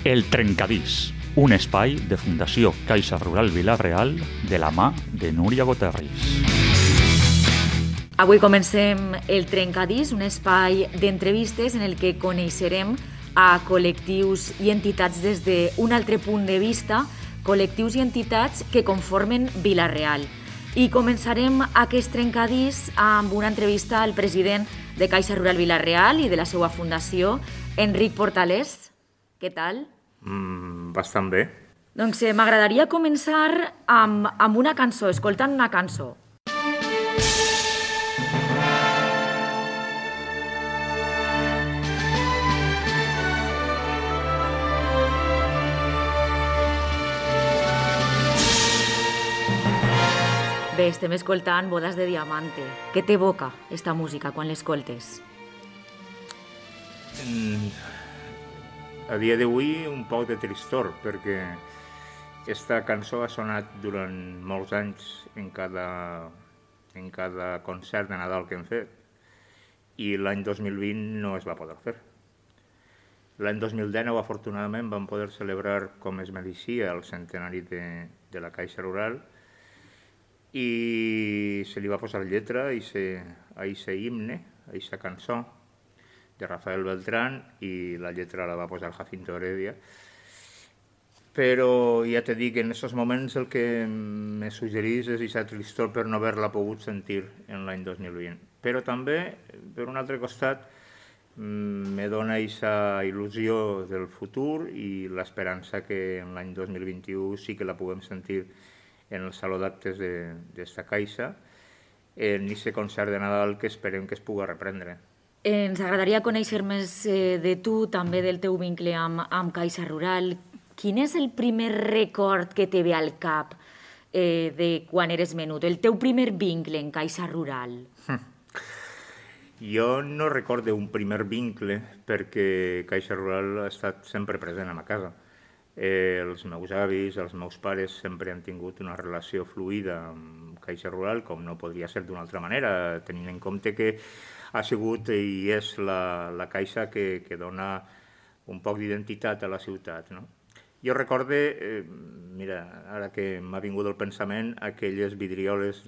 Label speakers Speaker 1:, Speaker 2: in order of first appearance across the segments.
Speaker 1: El Trencadís, un espai de Fundació Caixa Rural Vila-real de la mà de Núria Goterris.
Speaker 2: Avui comencem El Trencadís, un espai d'entrevistes en el que coneixerem a col·lectius i entitats des d'un altre punt de vista, col·lectius i entitats que conformen Vila-real. I començarem aquest trencadís amb una entrevista al president de Caixa Rural Vila-real i de la seva fundació, Enric Portalés. Què tal?
Speaker 3: Bastant bé.
Speaker 2: Doncs m'agradaria començar amb una cançó, escoltant una cançó. Bé, estem escoltant Bodas de Diamante. Què t'evoca esta música quan l'escoltes?
Speaker 3: A dia d'avui un poc de tristor, perquè aquesta cançó ha sonat durant molts anys en cada concert de Nadal que hem fet, i l'any 2020 no es va poder fer. L'any 2019, afortunadament, vam poder celebrar com es mereixia el centenari de la Caixa Rural, i se li va posar lletra a aquest himne, a aquesta cançó de Rafael Beltrán, i la lletra la va posar Jacinto Heredia. Però ja t'he dit que en aquests moments el que me suggerís és aquesta tristor per no haver-la pogut sentir en l'any 2020. Però també, per un altre costat, me dona aquesta il·lusió del futur i l'esperança que en l'any 2021 sí que la puguem sentir en el Saló d'Actes d'esta Caixa, en aquest concert de Nadal que esperem que es pugui reprendre.
Speaker 2: Ens agradaria conèixer més de tu, també del teu vincle amb Caixa Rural. Quin és el primer record que te ve al cap de quan eres menut? El teu primer vincle en Caixa Rural?
Speaker 3: Jo no recordo un primer vincle perquè Caixa Rural ha estat sempre present a ma casa. Els meus avis, els meus pares sempre han tingut una relació fluida amb Caixa Rural, com no podria ser d'una altra manera, tenint en compte que ha sigut i és la Caixa que dona un poc d'identitat a la ciutat, no? Jo recorde, mira, ara que m'ha vingut el pensament, aquelles vidrioles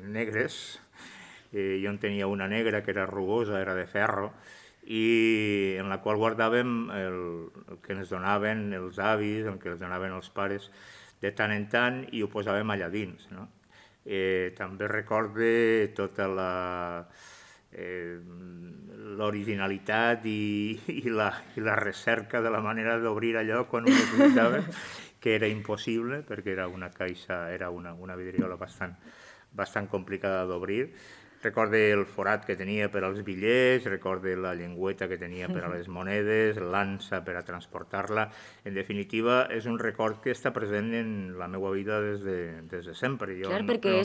Speaker 3: negres. Jo en tenia una negra que era rugosa, era de ferro, i en la qual guardàvem el que ens donaven els avis, el que ens donaven els pares de tant en tant, i ho posàvem allà dins, no? També recorde tota l'originalitat i la recerca de la manera d'obrir allò quan ho necessitàvem, que era impossible perquè era una caixa, era una vidriola bastant complicada d'obrir. Recorde el forat que tenia per als bitllets, recorde la llengüeta que tenia per a les monedes, l'ansa per a transportar-la. En definitiva, és un record que està present en la meva vida des de sempre.
Speaker 2: Clar, perquè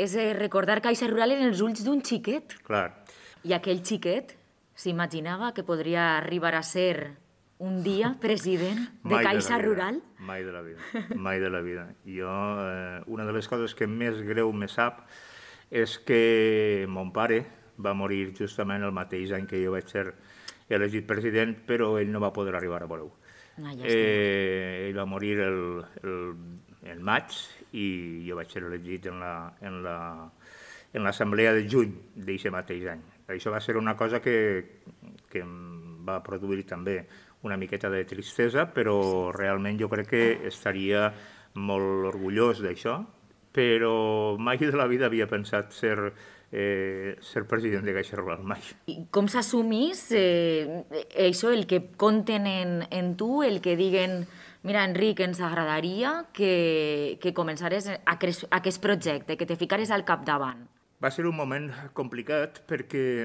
Speaker 2: és recordar Caixa Rural en els ulls d'un xiquet.
Speaker 3: Clar.
Speaker 2: I aquell xiquet s'imaginava que podria arribar a ser un dia president de Caixa Rural?
Speaker 3: Mai de la vida, mai de la vida. Jo, una de les coses que més greu me sap és que mon pare va morir justament el mateix any que jo vaig ser elegit president, però ell no va poder arribar a veure-ho. Ell va morir el maig i jo vaig ser elegit en l'assemblea de juny d'aquest mateix any. Això va ser una cosa que em va produir també una miqueta de tristesa, però realment jo crec que estaria molt orgullós d'això, però mai de la vida havia pensat ser president de Caixa Rural, mai.
Speaker 2: Com s'assumís això, el que conten en tu, el que diguen mira, Enric, ens agradaria que començares aquest projecte, que te ficares al capdavant?
Speaker 3: Va ser un moment complicat perquè...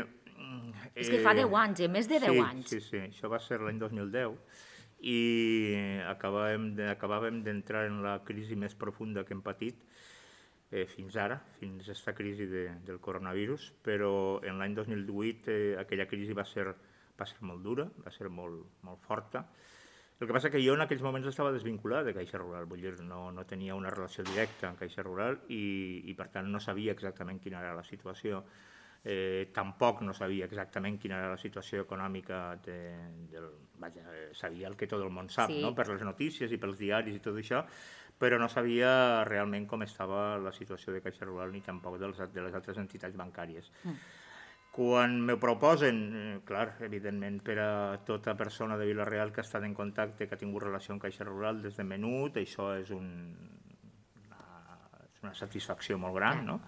Speaker 2: És que fa 10 anys, més de 10 anys.
Speaker 3: Sí, això va ser l'any 2010 i acabàvem d'entrar en la crisi més profunda que hem patit fins ara, fins a aquesta crisi del coronavirus, però en l'any 2018 aquella crisi va ser molt dura, va ser molt forta. El que passa és que jo en aquells moments estava desvinculat de Caixa Rural, vull dir, no tenia una relació directa amb Caixa Rural i per tant no sabia exactament quina era la situació. Tampoc no sabia exactament quina era la situació econòmica vaja, sabia el que tot el món sap,
Speaker 2: Sí.
Speaker 3: no? Per les notícies i pels diaris i tot això, però no sabia realment com estava la situació de Caixa Rural ni tampoc de les altres entitats bancàries. Quan me proposen, clar, evidentment, per a tota persona de Vila-real que ha estat en contacte, que ha tingut relació amb Caixa Rural des de menut, això és una satisfacció molt gran, no?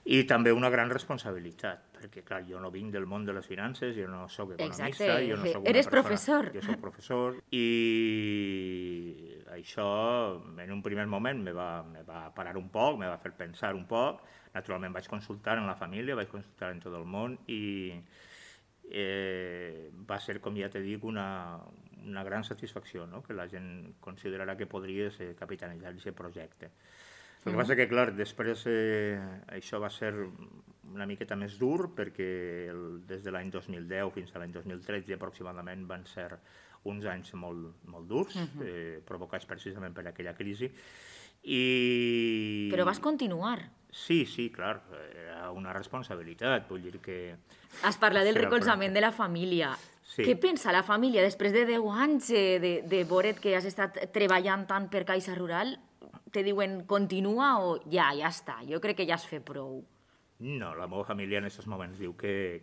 Speaker 3: I també una gran responsabilitat, perquè, clar, jo no vinc del món de les finances, jo no sóc economista,
Speaker 2: Exacte.
Speaker 3: jo no sóc una
Speaker 2: Eres
Speaker 3: persona...
Speaker 2: professor.
Speaker 3: Jo soc professor, i això, en un primer moment, me va parar un poc, me va fer pensar un poc. Naturalment vaig consultar en la família, vaig consultar en tot el món, i va ser, com ja t'he dit, una gran satisfacció, no? Que la gent considerarà que podries capitanejar aquest projecte. El que passa que, clar, després això va ser una miqueta més dur, perquè des de l'any 2010 fins a l'any 2013 aproximadament van ser uns anys molt durs, provocats precisament per aquella crisi.
Speaker 2: Però vas continuar.
Speaker 3: Sí, clar, era una responsabilitat, vull dir que...
Speaker 2: Has parlat del recolzament de la família.
Speaker 3: Sí.
Speaker 2: Què pensa la família després de 10 anys de veure't que has estat treballant tant per Caixa Rural? Te diuen continua o ja està, jo crec que ja has fet prou?
Speaker 3: No, la meva família en aquests moments diu que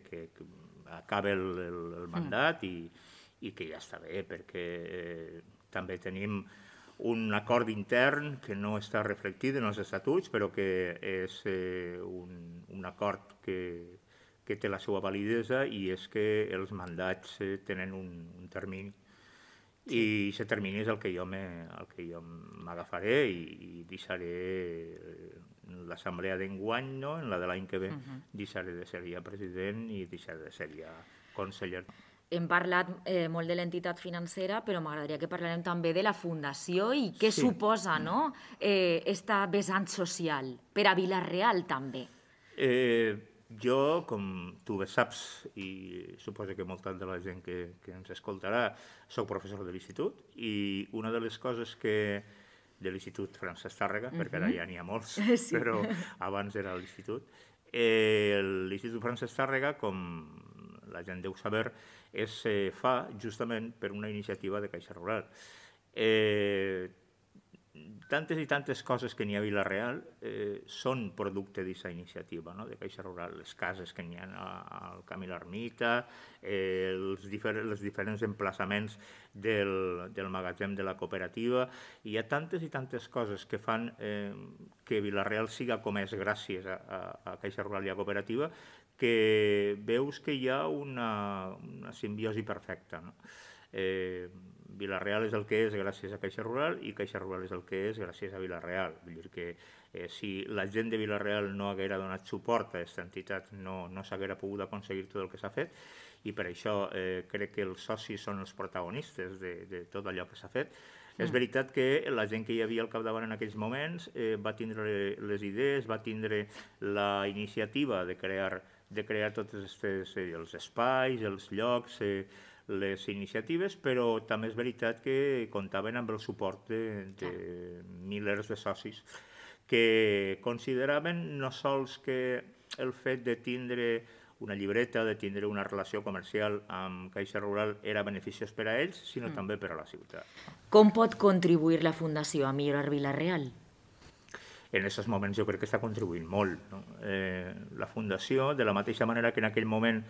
Speaker 3: acaba el mandat i que ja està bé, perquè també tenim un acord intern que no està reflectit en els estatuts, però que és un acord que té la seva validesa, i és que els mandats tenen un termini. I aquest termini és el que jo m'agafaré i deixaré l'assemblea d'enguany, no? En la de l'any que ve, deixaré de ser ja president i deixaré de ser ja conseller.
Speaker 2: Hem parlat molt de l'entitat financera, però m'agradaria que parlarem també de la fundació i què suposa, no?, esta vessant social, per a Vila-real també.
Speaker 3: Jo, com tu bé saps, i suposo que molta de la gent que ens escoltarà, soc professor de l'institut, i una de les coses de l'Institut Francesc Tàrrega, perquè ara ja n'hi ha molts, però abans era l'Institut. L'Institut Francesc Tàrrega, com la gent deu saber, es fa justament per una iniciativa de Caixa Rural. Tantes i tantes coses que n'hi ha a Vila-real són producte d'aquesta iniciativa, no?, de Caixa Rural. Les cases que n'hi ha al Camí l'Ermita, els diferents emplaçaments del magatzem de la cooperativa. Hi ha tantes i tantes coses que fan que Vila-real siga com és gràcies a Caixa Rural i a cooperativa, que veus que hi ha una simbiosi perfecta, no? Vila-real és el que és gràcies a Caixa Rural i Caixa Rural és el que és gràcies a Vila-real. Vull dir que si la gent de Vila-real no haguera donat suport a aquesta entitat, no s'haguera pogut aconseguir tot el que s'ha fet, i per això crec que els socis són els protagonistes de tot allò que s'ha fet. És veritat que la gent que hi havia al capdavant en aquells moments va tindre les idees, va tindre la iniciativa de crear tots els espais, els llocs, les iniciatives, però també és veritat que comptaven amb el suport de milers de socis que consideraven no sols que el fet de tindre una llibreta, de tindre una relació comercial amb Caixa Rural era beneficiós per a ells, sinó també per a la ciutat.
Speaker 2: Com pot contribuir la Fundació a millorar Vila-real?
Speaker 3: En aquests moments jo crec que està contribuint molt, no? La Fundació, de la mateixa manera que en aquell moment,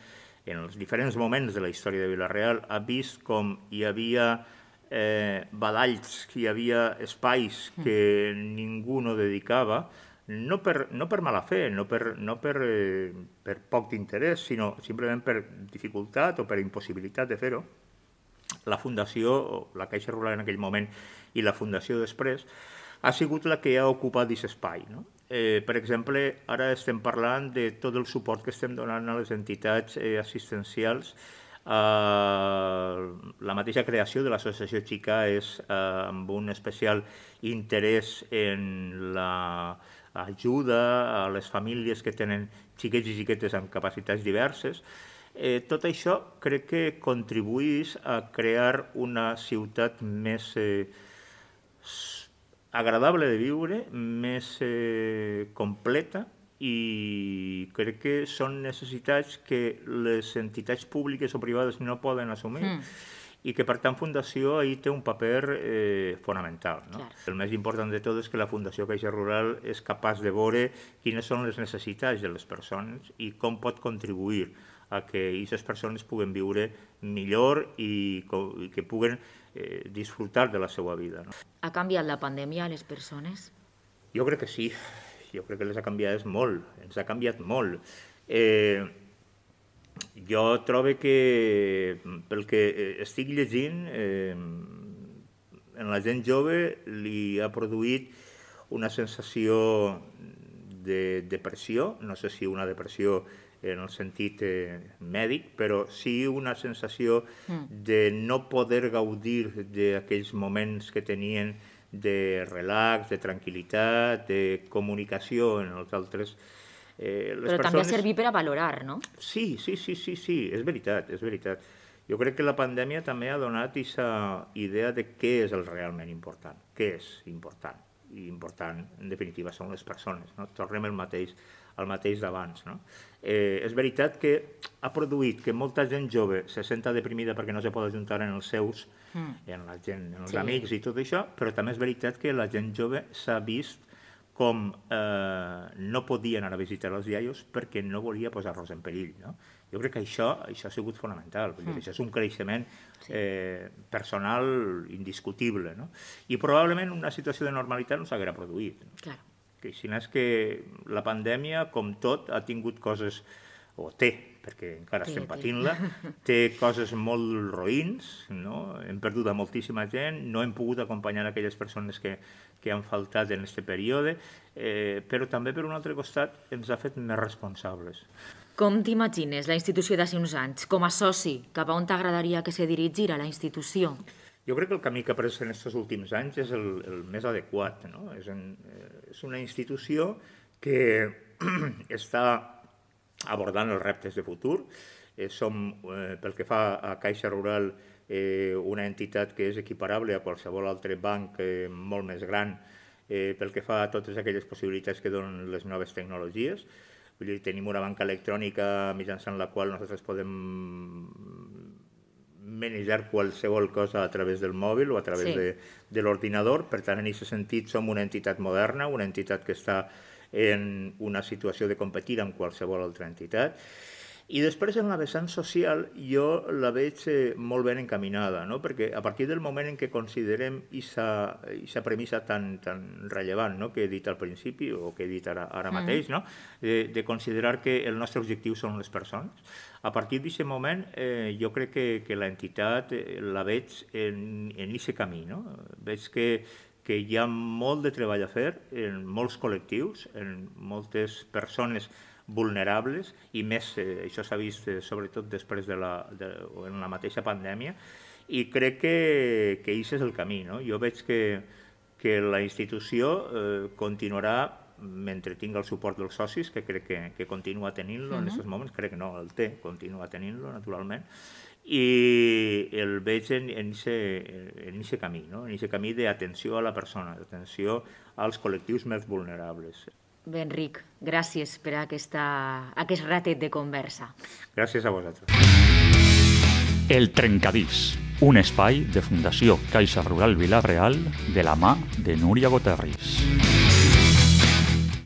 Speaker 3: en els diferents moments de la història de Vila-real, ha vist com hi havia badalls, que hi havia espais que ningú no dedicava, no per mala fe, no per poc d'interès, sinó simplement per dificultat o per impossibilitat de fer-ho. La Fundació, la Caixa Rural en aquell moment i la Fundació després, ha sigut la que ha ocupat aquest espai, no? Per exemple, ara estem parlant de tot el suport que estem donant a les entitats assistencials. La mateixa creació de l'associació Xica és amb un especial interès en l'ajuda a les famílies que tenen xiquets i xiquetes amb capacitats diverses. Tot això crec que contribueix a crear una ciutat més agradable de viure, més completa, i crec que són necessitats que les entitats públiques o privades no poden assumir i que per tant Fundació ahir té un paper fonamental. No?
Speaker 2: Clar.
Speaker 3: El més important de tot és que la Fundació Caixa Rural és capaç de veure quines són les necessitats de les persones i com pot contribuir a que aquestes persones puguen viure millor i que puguen disfrutar de la seva vida. No?
Speaker 2: Ha canviat la pandèmia a les persones?
Speaker 3: Jo crec que sí. Jo crec que les ha canviat molt. Ens ha canviat molt. Jo trobo que, pel que estic llegint, en la gent jove li ha produït una sensació de depressió, no sé si una depressió en el sentit mèdic, però sí una sensació de no poder gaudir d'aquells moments que tenien de relax, de tranquil·litat, de comunicació en els altres.
Speaker 2: Però també ha servit per a valorar, no?
Speaker 3: Sí, és veritat, és veritat. Jo crec que la pandèmia també ha donat aquesta idea de què és el realment important, què és important. I important, en definitiva, són les persones. No? Tornem al mateix d'abans. No? És veritat que ha produït que molta gent jove se senta deprimida perquè no se pot ajuntar en els seus, en la gent, en els amics i tot això, però també és veritat que la gent jove s'ha vist com no podien anar a visitar els iaios perquè no volia posar-los en perill. No? Jo crec que això ha sigut fonamental, perquè això és un creixement personal indiscutible. No? I probablement una situació de normalitat no s'haguera produït. No?
Speaker 2: Clar.
Speaker 3: Que si no és que la pandèmia, com tot, ha tingut coses, o té, perquè encara estem patint-la, té coses molt roïns, no? Hem perdut a moltíssima gent, no hem pogut acompanyar aquelles persones que han faltat en aquest període, però també, per un altre costat, ens ha fet més responsables.
Speaker 2: Com t'imagines la institució d'ací uns anys? Com a soci, cap a on t'agradaria que se dirigirà la institució?
Speaker 3: Jo crec que el camí que ha pres en aquests últims anys és el més adequat. No? És una institució que està abordant els reptes de futur. Som, pel que fa a Caixa Rural, una entitat que és equiparable a qualsevol altre banc molt més gran pel que fa a totes aquelles possibilitats que donen les noves tecnologies. Vull dir, tenim una banca electrònica mitjançant la qual nosaltres podem manejar qualsevol cosa a través del mòbil o a través de l'ordinador. Per tant, en aquest sentit, som una entitat moderna, una entitat que està en una situació de competir amb qualsevol altra entitat. I després, en la vessant social, jo la veig molt ben encaminada, no? Perquè a partir del moment en què considerem aquesta premissa tan rellevant, no? Que he dit al principi, o que he dit ara mateix, no? De considerar que el nostre objectiu són les persones, a partir d'aquest moment jo crec que l'entitat la veig en aquest camí, no? Veig que hi ha molt de treball a fer en molts col·lectius, en moltes persones vulnerables, i més, això s'ha vist sobretot després en la mateixa pandèmia, i crec que aquest és el camí. No? Jo veig que la institució continuarà, mentre tinga el suport dels socis, que crec que continua tenint-lo en aquests moments, crec que no, el té, continua tenint-lo, naturalment, i el veig en aquest camí, no? En aquest camí d'atenció a la persona, d'atenció als col·lectius més vulnerables.
Speaker 2: Bé, Enric, gràcies per aquest ratet de conversa.
Speaker 3: Gràcies a vosaltres.
Speaker 1: El Trencadís, un espai de Fundació Caixa Rural Vila-real de la mà de Núria Goterris.